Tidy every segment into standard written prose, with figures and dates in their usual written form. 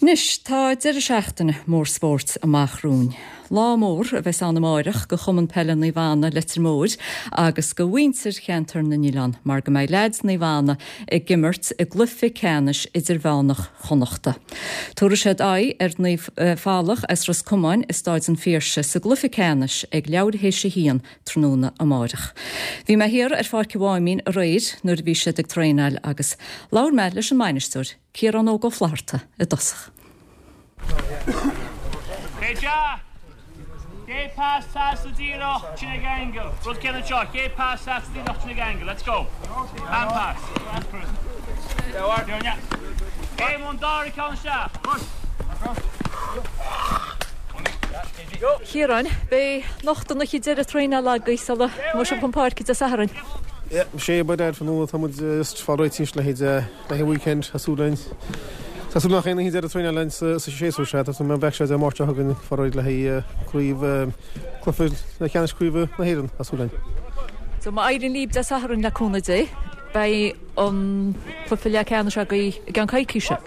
Anois, tá deireadh seachtaine mór spóirt amach romhainn. Lá mór a bheas ann amáireach go Chumann Peile Naomh Anna, Leitir Móir agus go mhuintir Cheantar na nOileán mar go mbeidh leaids Naomh Anna ag imirt i gcluiche ceannais idirmheánach Chonnachta. Tabharfaidh siad aghaidh ar Naomh Faithleach as Ros Comáin i Stáid an Phiarsaigh sa gcluiche ceannais ag leathuair théis a haon tráthnóna amáireach. Bhí mé thiar ar Pháirc an Mháimín aréir nuair a bhí siad ag traenáil agus labhair mé leis an mbainisteoir, Ciarán Óg Ó Flaithearta i dtosach. Chiaráin, beidh anocht an oíche deireadh traenála agaibh sula mbeidh sibh chun páirce Dé Sathairn. Yeah, sé ba dead fá tá muid just fá réiteach le haghaidh Le haghaidh weekend, tá súil againn. Tá súil nach aon oíche deireadh traenáil againn sa séasúr seo. Tá súil go mbeidh sé Dé Máirt seo chugainn fá réidh le haghaidh craobh cluiche leathcheannais craoibhe na hÉireann, tá súil againn. So má éiríonn libh Dé Sathairn le cúnamh Dé, beidh an cluiche leathcheannais agaibh i gceann coicíse.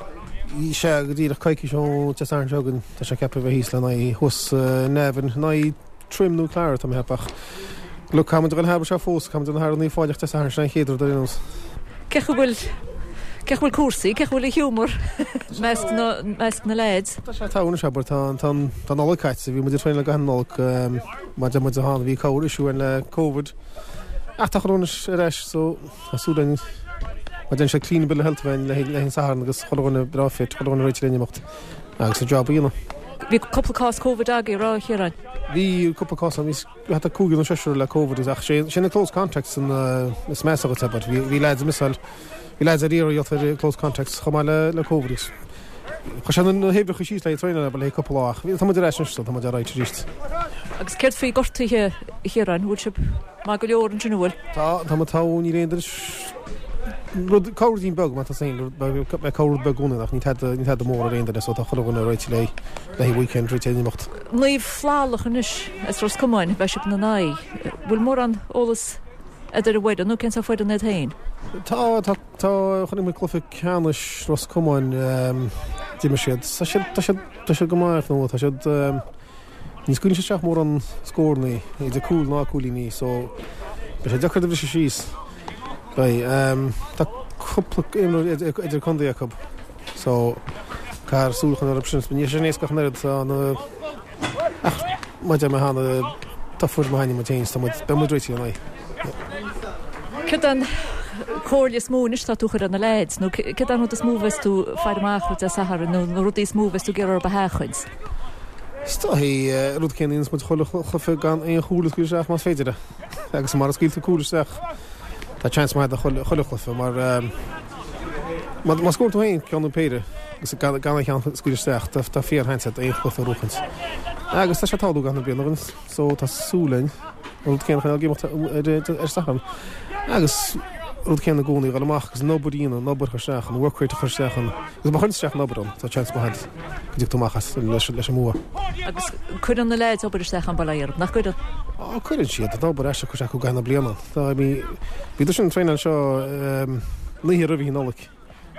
Sea, go díreach coicís ó Dé Sathairn seo chugainn. Tá sé ceaptha a bheith thíos le n-aghaidh thuas in Navan, in aghaidh Trim nó Clara tá mé ag ceapadh ach look caithfidh muid a dhul thar seo fós, caithfidh muid a dhul thar Naomh Faithleach Dé Sathairn sin an chéad rud ar aon nós. Cé chaoi bhfuil cé chaoi bhfuil cúrsaí, cé chaoi bhfuil an giúmar measc na measc na leaids? Tá sé togha anois abair tá tá an tá an Nollaig caite, bhí muid ag traenáil i gcaitheamh na Nollag mar deir muid a bhí corr issue ann le Covid ach tá chuile dhuine anois ar ais so tá súil againn mar déanann sé clean bill of health againn le haghaidh an Satharn agus chuile dhuine breá fit, chuile dhuine réitithe le n-imeacht. Agus an job a dhéanamh. Bhí cúpla cás Covid agaibh, a raibh, a Chiaráin? Bhí cúpla cás ann, bhí thart ar cúigear nó seisear le Covid ach sé sé na close contacts an is measa dhuit abair. Bhí bhí lads ag missáil, bhí lads ar iarraidh ar close contacts chomh maith le le Covid agus chuir sé na hoibreacha síos le traenáil abair le cúpla lá ach tá muid ar ais anois so tá muid alright arís. Agus céard faoi gortuithe, a Chiaráin, bhfuil sibh maith go leor ansin, an bhfuil? Tá, tá muid togha, níl aon duine Rud, corr-ruidín beag, má tá féin, beidh corr-rud beag i gcónaí ach ní tada, ní tada mór ar aon duine so tá chuile dhuine réitithe le le haghaidh weekend, réitithe le n-imeacht. Naomh Faithleach anois as Ros Comáin, beidh sibh ina n-aghaidh. Bhfuil mórán eolas agat ar an bhfoireann nó cén sórt foireann iad féin? Tá, tá, tá, chonaic mé cluiche ceannais Ros Comáin, d'imir siad, tá siad, tá siad, tá siad go maith, nó tá siad, Ní scaoileann siad isteach mórán scórannaí, idir cúil ná cúilíní, so beidh sé deacair do bhriseadh síos. Beidh. Tá cúpla imreoir idir-chontae acu, so caithfear súil a choinneáil orthu sin. Níl sé sin éasca ach an oiread, tá na, ach mar a deir mé cheana, tá foireann maith againn muid féin, so tá muid, beidh muid réitithe lena n-aghaidh. Céard é an chomhairle is mó anois atá tú a chur ar na leaids, nó céard é an rud is mó a bheas tú ag faire amach Dé Sathairn, nó na rudaí is mó a bheas tú ag iarraidh orthu a sheachaint? Is dóichí rud céanna a dhéanas muid chuile chluiche gan aon chúl a scaoileadh isteach más féidir é. Agus mara scaoil tú cúl isteach tá seans maith agat chuile chuile chluiche mar má má scór tú féin ceann nó péire agus gan gan aon cheann a scaoileadh isteach tá tá fíor-sheans agat aon chluiche a bhuachaint. Agus tá sé ag tarlú gach aon bhliain againn so tá súil againn an rud céanna a choinneáil ag imeacht ar ar Satharn. Agus rud céanna i gcónaí, dhul amach agus an obair a dhéanamh, an obair a chur isteach, an work rate a chur isteach ann. Agus má chuireann tú isteach an obair ann, tá seans maith agat go dtiocfaidh tú amach as leis an mbua. Agus cuireann na leaids obair isteach an bail ó Dhia orthu, nach gcuireann? Á, cuireann siad. Tá obair aisteach curtha acu i gcaitheamh na bliana. Tá, I mean, bhíodar sin ag traenáil anseo an oíche roimh Oíche Nollag.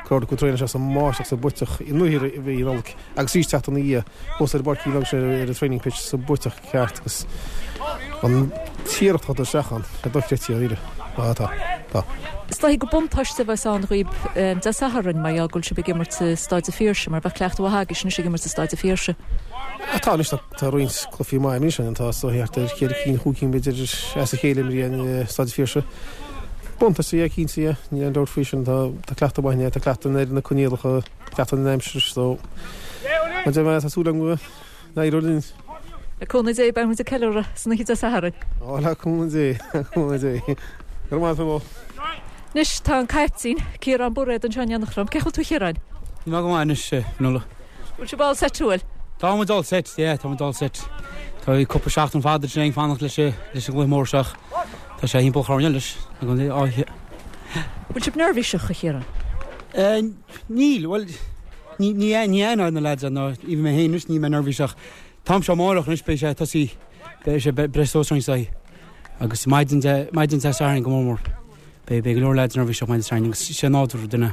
Cuid acu ag traenáil anseo sa mbáisteach sa bpuiteach an oíche roimh Oíche Nollag agus arís seachtain ina dhiaidh thuas ar an bpáirc bheag sin ar an training pitch sa bpuiteach ceart agus an t-iarracht atá isteach ann, sé dochreidte dháiríre. Á tá, tá. Is dóigh gur buntáiste a bheas ann dhaoib Dé Sathairn mar gheall go bhfuil sibh ag imirt i Stáid an Phiarsaigh mar bheadh cleachtadh mhaith agaibhse anois ag imirt i Stáid an Phiarsaigh. Á tá anois tá tá roinnt cluichí maith imithe ann tá so thart ar cheithre cinn chúig cinn b'fhéidir as a chéile imithe i Stáid an Phiarsaigh. Buntáiste é cinnte é, níl aon dabht faoi sin. Tá tá cleachtadh maith ann, tá cleachtadh ar na coinníollacha, cleachtadh ar an aimsir so mar a deir mé tá súil agam go n-éireoidh linn. Le cúnamh Dé beidh muid ag ceiliúradh san oíche Dé Sathairn. Ó le cúnamh Dé, le cúnamh Dé. Go raibh maith agat Fionnuala. Anois tá an caiptín, Ciarán Bairéad anseo in éineacht liom. Cén chaoi a bhfuil tú a Chiaráin? Tá mé go maith anois, a Fhionnuala. Bhfuil sibh all set bhfuil? Tá muid all set, yeah, tá muid all set. Tá cúpla seachtain fada ag fanacht leis an gcluiche mór seo ach tá sé thimpeall an choirnéil anois ag an áithe. Bhfuil sibh neirbhíseach, a Chiaráin? Níl, bhuel, ní ní ní aon na lads ná even mé féin anois níl mé neirbhíseach. Táim seo amárach anois beidh sé tosaí beidh sé breis suas roinnt agus maidin de maidin Dé Sathairn go mór mór. Beidh go leor leaids neirbhíseach maidin Sathairn agus sé nádúr duine.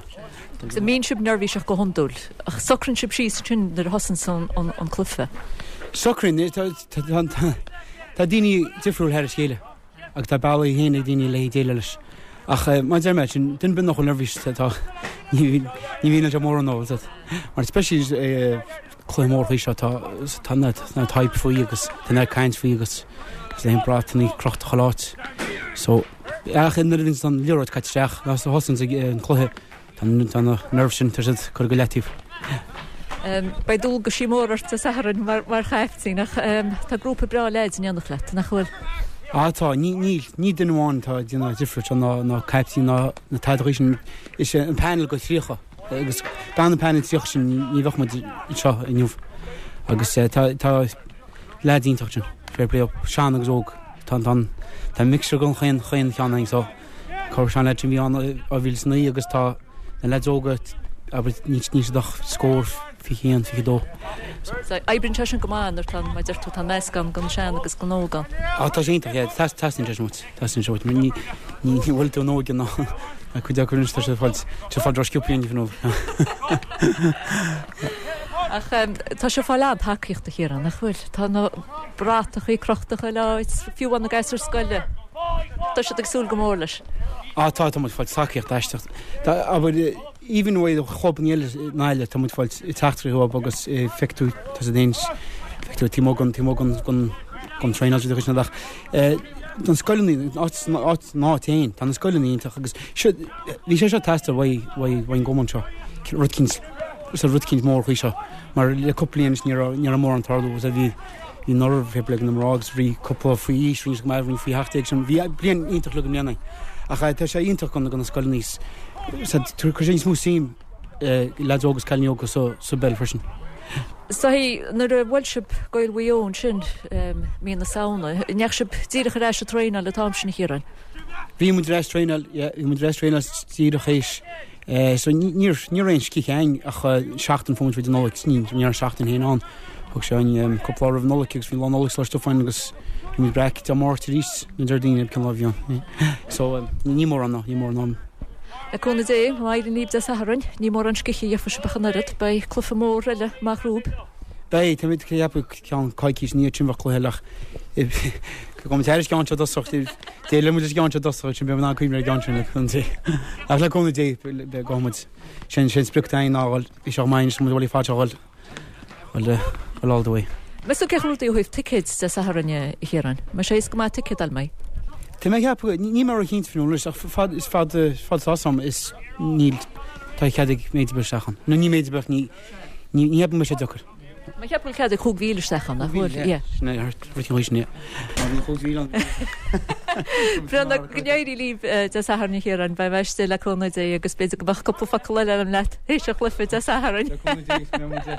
Agus an mbíonn sibh neirbhíseach go hiondúil? Ach socraíonn sibh síos ansin nuair a thosaíonn an cluiche? Socraíonn. Tá daoine difriúil thar a chéile agus tá bealaí féin ag daoine le déileáil leis. Ach mar a deir mé, sin duine ar bith nach bhfuil neirbhíseach tá ní bhíonn sé mórán nó mar especially cluiche mór faoi seo tá tá na na hype faoi agus tá na caint faoi agus is é an brat ní crochta chuile áit. So ach nuair a bhíonn an liathróid caite isteach nó thosaíonn an cluiche tá tá na nerves sin tá siad curtha go leataobh. Beidh dualgaisí mór ort Dé Sathairn mar mar chaiftín ach tá grúpa breá leaids in éineacht leat, nach bhfuil? Á tá, ní ní ní duine amháin atá ag déanamh difríocht seo ná ná caiptín ná na tada sin is é an panel go 30. Agus gan an panel 30 sin ní bheadh muid anseo inniu. Agus tá tá leaids iontach ansin, fair play dóibh, sean agus óg. Tá tá tá mixture den chaon chaon cheann againn so cá raibh sean leaids sin bhí ann i 2009 agus tá na leaids óga abair níl níl siad ach scór 21, 22. So oibríonn sé sin go maith nuair tá mar deir tú tá meascán den sean agus den óg ann. Á tá sé iontach, yeah, teastaíonn sé sin uait. Teastaíonn sé uait mar ní ní bhfuil tú an óige ná cuid acu anois tá siad ag fáil tá siad ag fáil drochsciobthaí inniu nó. Ach tá sibh ag fáil an-tacaíocht a Chiaráin, nach bhfuil? Tá na bratachaí crochta chuile áit, fiú amháin na gasúir scoile. Tá siad ag súil go mór leis. Á tá, tá muid ag fáil tacaíocht aisteach. Tá abair even uaidh chlubanna eile i nGaillimh tá muid ag fáil teachtaireachtaí uathu agus feicfidh tú tá siad féin feicfidh tú taobh amuigh den taobh amuigh den den traenáil siad ach Don scoileanna, áit an áit féin, tá na scoileanna iontach agus seo, bhí sé seo ag teastáil uaidh, uaidh, uaidh an gcumann seo, rud eicínt, is rud eicínt mór faoi seo, mar le cúpla bliain anois ní raibh, ní raibh mórán ag tarlú agus bhí, bhí anuraidh fair play ag na mná agus bhí cúpla faoi aois, rinne siad go maith, rinne faoi sheacht déag sin, bhí bliain iontach le go mbliana. Ach tá sé iontach go na, go na scoileanna, cuir sé níos mó suim leaids óga agus cailíní óga sa, sa bpeil freisin. Sea, nuair a bhuail sibh Gaeil Mhaigh Eo ansin mí na Samhna, an ndeachaigh sibh díreach ar ais ag traenáil an t-am sin, a Chiaráin? Bhí muid ar ais traenáil, yeah, bhí muid ar ais traenáil díreach théis. So ní ní raibh aon scíth againn ach seachtain fuair muid roimh an Nollaig, ní ní raibh seachtain féin ann. Thug sé an cúpla lá roimh an Nollaig agus bhí lá Nollag sláiste fáin agus bhí muid breac Dé Máirt arís nó Déardaoin cén lá a bhí ann. So ní mórán ná, ní mórán am. Le cúnamh Dé, má éiríonn libh Dé Sathairn, ní mórán scíthe a gheobhaidh sibh ach an oiread. Beidh cluiche mór eile amach romhaibh. Beidh, táimid ag ceapadh ceann coicís ina dhiaidh sin bheadh cluiche eile ach gabhfaidh muid thairis an gceann seo i dtosach, déileoidh muid leis an gceann seo i dtosach ansin beidh muid in ann cuimhneamh ar an gceann sin le cúnamh Dé. Ach le cúnamh Dé, gabhfaidh muid. Sin sin sprioc atá againn ná a dhul, bhí sé chomh maith anois, muid bhfuil fad seo a dhul. Bhuel, bhuel all the way. Meas tú cén chaoi a bhfuil rudaí ó thaobh ticéid Dé Sathairn, a Chiaráin? Mbeidh sé éasca go maith ticéad a fháil, mbeidh? Tá mé ag ceapadh, níl mé ró-chinnte faoin eolas ach fad is fad fad atá 'fhios a'm is níl, tá cead ag méid ar bith isteach ann. Nó ní méid ar bith ach ní, ní cheapaim go mbeidh sé deacair. Mé ag ceapadh go bhfuil cead ag 5,000 isteach ann, nach bhfuil? Yeah. Sin é, rud an sin, yeah. Má bhíonn 5,000 ann. Breathnaigh, go n-éirí libh Dé Sathairn a Chiaráin, beidh mé istigh le cúnamh Dé agus b'fhéidir go mbeadh cúpla focal eile agam leat théis an chluiche Dé Sathairn. Le cúnamh Dé, is mé muid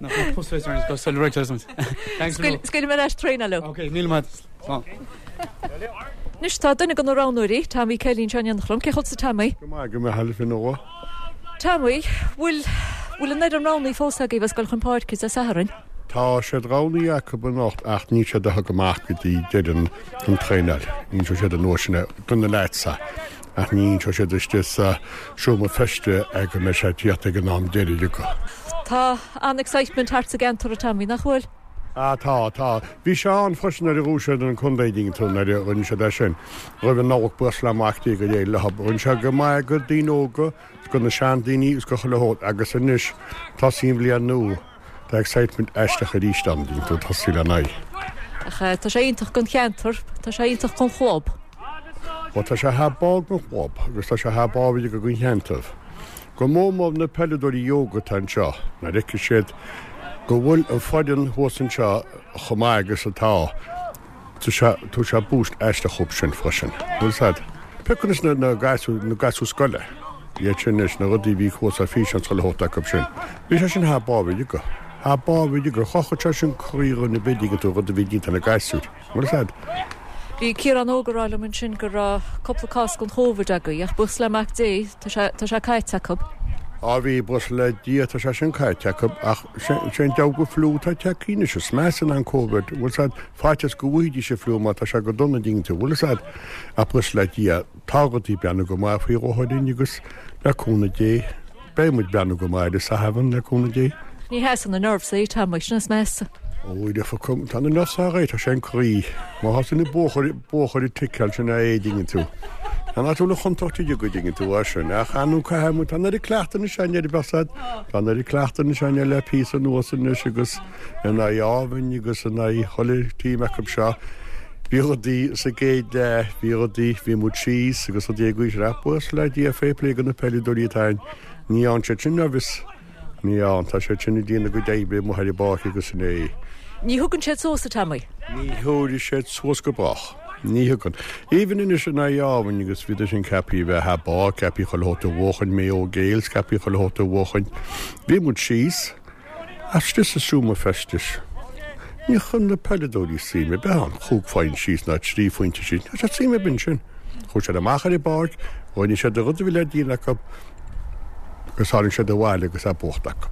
nach bhfuil pus fé go Scaoilfidh mé ar ais traenáil leo. Ok, míle maith. Slán. Anois tá duine de na roghnóirí, Tommy Kelly anseo in éineacht liom. Cén chaoi a bhfuil tusa Tommy? Go maith, go maith, a Fionnuala. Tommy, bhfuil, bhfuil an fhoireann roghnaithe fós agaibh ag goil chun páirce Dé Sathairn? Tá siad roghnaithe acu anocht ach níl siad á thug amach go dtí deireadh an traenáil. Inseoidh siad an uair sin é do na leaids ach ní inseoidh siad istigh sa seomra feiste é go mbeidh sé ag tíocht ag an am deiridh acu. Tá an-excitement thart sa gceantar a Tommy, nach bhfuil? Ah tá, tá. Bhí sé ann freisin nuair a bhuaigh siad an contae, dtuigeann tú, nuair a rinne siad é sin. Roimh an Nollaig buíochas le Mac Dé gur éirigh leo. Rinne sé go maith go daoine óga, is go na seandaoine is go chuile shórt agus anois tosaíonn an bhliain nua, tá excitement aisteach arís ann, dtuigeann tú, tosaí le n-aghaidh. Ach tá sé iontach don cheantar, tá sé iontach don chlub. Bhuel tá sé thar barr don chlub agus tá sé thar barr uilig don cheantar. Go mór mór na peileadóirí óga atá anseo, nuair a fheicfidh siad go bhfuil an foireann thuas anseo chomh maith agus atá, tabharfaidh sé boost aisteach dhóibh sin freisin. Bhfuil 'fhios a'd? Pioc anois na gasúir, na gasúir scoile, iad sin anois, na rudaí a bhí thuas ar físeán chuile shórt acu sin. Bhí sé sin thar barr uilig, thar barr uilig. Chrochfadh sé sin croí dhuine ar bith, dtuigeann tú, rud a bhí déanta ag na gasúir. Bhfuil 'fhios a'd? Bhí Ciarán Óg ag rá liom ansin go raibh cúpla cás den Chóvid agaibh ach buíochas le Mac Dé tá sé tá sé caite acu. Á bhí, buíochas le Dia tá sé sin caite acu ach sé an diabhal de fliú atá tagtha anois, is measa ná an Covid, bhfuil 's a'd, faitíos go bhfaighidís an fliú mar tá sé go dona an dtuigeann tú, bhfuil 's a'd, ach buíochas le Dia tá rudaí ag breathnú go maith faoi láthair dúinn agus le cúnamh Dé beidh muid ag breathnú go maith ar an Satharn le cúnamh Dé. Ní sheasann na nerves é, Tommy, sin is measa. Ó, defa, tá na nerves á tá sé an croí. Má thosaíonn na buachaillí, buachaillí ag ticeáil sin é, an dtuigeann tú. Tá an áit a bhfuil an chontúirt uilig, an dtuigeann tú, é sin. Ach ar ndú caithfidh muid, tá an oiread cleachtaidh anois againn ar bheadh said, tá an oiread cleachtaidh anois againn le píosa anuas anois agus in aghaidh Ámhain agus in aghaidh chuile team acu seo. Bhí rudaí sa gcéad leath, bhí rudaí, bhí muid síos agus rudaí ag gaois ach buíochas le Dia fair play do na peileadóirí atá ann. Ní fhaigheann siad sin nervous. Ní fhaigheann, tá siad sin ag déanamh a gcuid oibre amuigh ar an bpáirc agus sin é. Ní thugann siad suas, a Tommy. Ní thabharfaidh siad suas go brách. Ní thugann. Even anois in aghaidh Ámhain agus bhíodar sin ceaptha a bheith thar barr, ceaptha chuile shórt a bhuachaint, Maigh Eo Gaels, ceaptha chuile shórt a bhuachaint. Bhí muid síos. Istigh sa seomra feistis. Níor chuir na peileadóirí suim ar bith ann, chúig phointe síos ná trí phointe síos, ní raibh siad suim ar bith ansin. Chuaigh siad amach ar an bpáirc, rinne siad an rud a bhí le déanamh acu agus tháinig siad abhaile agus é buachta acu.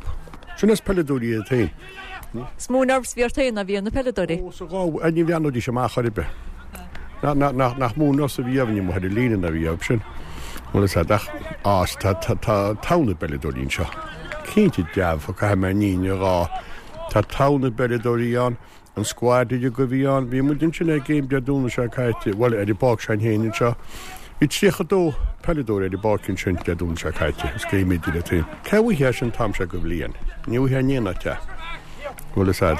Sin is peileadóirí iad féin. Is mó nerves a bhí ort féin ná a bhí ar na peileadóirí. Ó, sa dhá, ní bhreathnóidís amach ar bith. Nach mó nerves a bhí orainne amuigh ar an líne ná a bhí orthu sin. Bhuel, is ea, ach, á, tá, tá, tá togha na bpeileadóirí anseo. Cinnte dearfa, caithfidh mé an fhírinne a rá. Tá togha na bpeileadóirí ann, an squad uilig a bhí ann. Bhí muid ansin ag game Dé Domhnaigh seo caite, bhuel, ar an bpáirc s'againn féin anseo. Bhí 32 peileadóir ar an bpáirc ansin Dé Domhnaigh seo caite, is game idir iad féin. Cá bhfaighfeá sin an t-am seo de bhliain? Ní bhfaighfeá in aon áit é. Bhuel, is ea.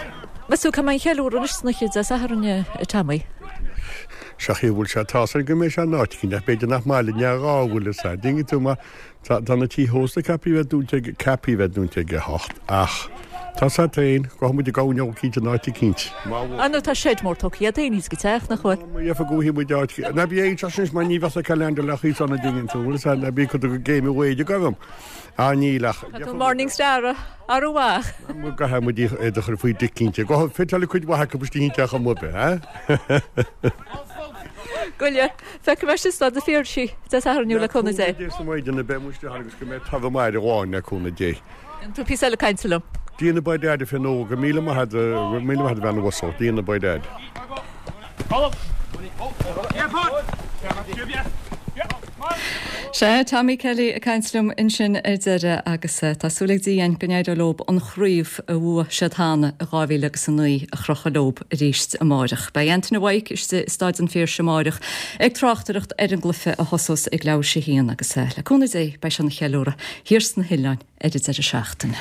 Meas tú cá mbeidh an cheiliúradh anois san oíche Dé Sathairn, a Tommy? Sea, a bhfuil sé, tá's agam go mbeidh sé in áit éicint, ach b'fhéidir nach maith linn é a rá, bhfuil fhios a'd. Dtuigeann tú, mar Tá na tithe ósta ceaptha a bheith dúnta ag, ceaptha a bheith dúnta ag a hocht ach tá 's a'd féin, gabhfaidh muid ag gabhann eicínt in áit eicínt. Má bhfuil. Ah nó tá seid mór tógtha agat féin thíos ag an teach, nach bhfuil? Má dhearfa go bhfaighidh muid áit, ná bí aon teach anois mar ní bheadh sa calendar le chaoi san a dtuigeann tú, bhfuil 's a'd, ná bí cuid de game away ag orm. Ah níl ach. Tá tú Morning Star arú amach. Caithfidh muid iad a chur faoi dic cinnte. Gabhfaidh fiteáil cuid mhaith acu istigh an teach amuigh, eh? Goile. Feicfidh mé sibh i Staid an Phiarsaigh Dé Sathairn le cúnamh Dé. Le cúnamh Dé sa maidin beidh muid istigh ann agus go mbeidh taobh amuigh ar amháin le cúnamh Dé. Déanfaidh tú píosa eile cainte liom. Dia na by Dad a Fionn Óg, go míle maith a't, go míle maith a't a bhean uasal, Dia na by Dad. Sea, Tommy Kelly ag caint liom ansin ar deireadh agus tá súil ag Dia go n-éireoidh leo an chraobh a bhuaigh siad cheana i 2009 a chrochadh leo arís amáireach. Beidh Antaine Mhaidhc istigh i Staid an Phiarsaigh amáireach ag tráchtaireacht ar an gcluiche a thosós ag leathuair théis a haon agus le cúnamh Dé beidh sé ina cheiliúradh thiar sna hoileáin ar an deireadh seachtaine.